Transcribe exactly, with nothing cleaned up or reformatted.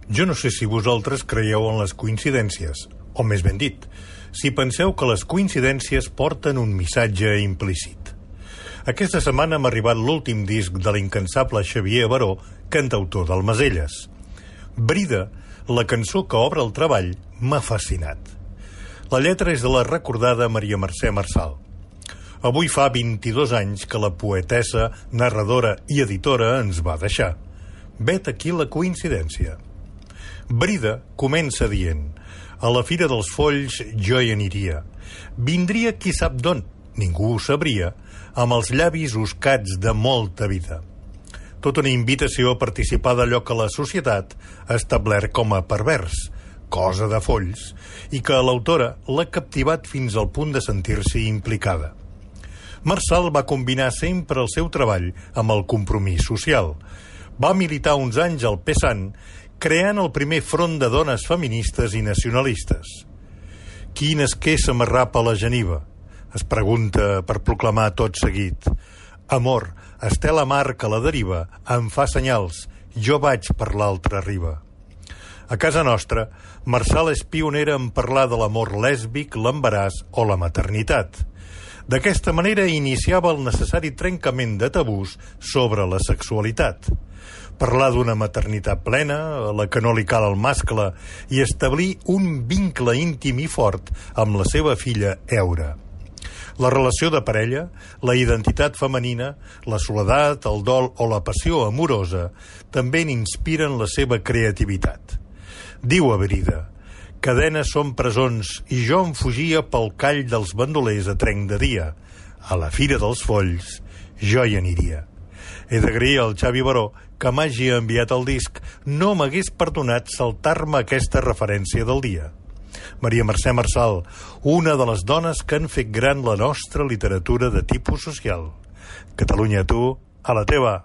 Jo no sé si vosaltres creieu en les coincidències, o més ben dit, si penseu que les coincidències porten un missatge implícit. Aquesta setmana m'ha arribat l'últim disc de l'incansable Xavier Baró, cantautor del Maselles. Brida, la cançó que obre el treball, m'ha fascinat. La lletra és de la recordada Maria Mercè Marçal. Avui fa vint-i-dos anys que la poetessa, narradora i editora ens va deixar. Vet aquí la coincidència. Brida comença dient: a la Fira dels Folls jo hi aniria. Vindria qui sap d'on, ningú ho sabria, amb els llavis oscats de molta vida. Tota una invitació a participar d'allò que la societat ha establert com a pervers, cosa de folls, i que l'autora l'ha captivat fins al punt de sentir-s'hi implicada. Marçal va combinar sempre el seu treball amb el compromís social. Va militar uns anys al PSAN, creant el primer front de dones feministes i nacionalistes. Quin esquer s'amarrapa a la geniva? Es pregunta per proclamar tot seguit. Amor, estel a mar que la deriva, em fa senyals, jo vaig per l'altra riba. A casa nostra, Marçal és pionera en parlar de l'amor lèsbic, l'embaràs o la maternitat. D'aquesta manera iniciava el necessari trencament de tabús sobre la sexualitat. Parlar d'una maternitat plena, a la que no li cal el mascle, i establir un vincle íntim i fort amb la seva filla Eura. La relació de parella, la identitat femenina, la soledat, el dol o la passió amorosa també n'inspiren la seva creativitat. Diu a Brida: cadenes són presons i jo em fugia pel call dels bandolers a trenc de dia. A la Fira dels Folls jo hi aniria. He d'agrair al Xavi Baró que m'hagi enviat el disc. No m'hagués perdonat saltar-me aquesta referència del dia. Maria Mercè Marçal, una de les dones que han fet gran la nostra literatura de tipus social. Catalunya, tu, a la teva.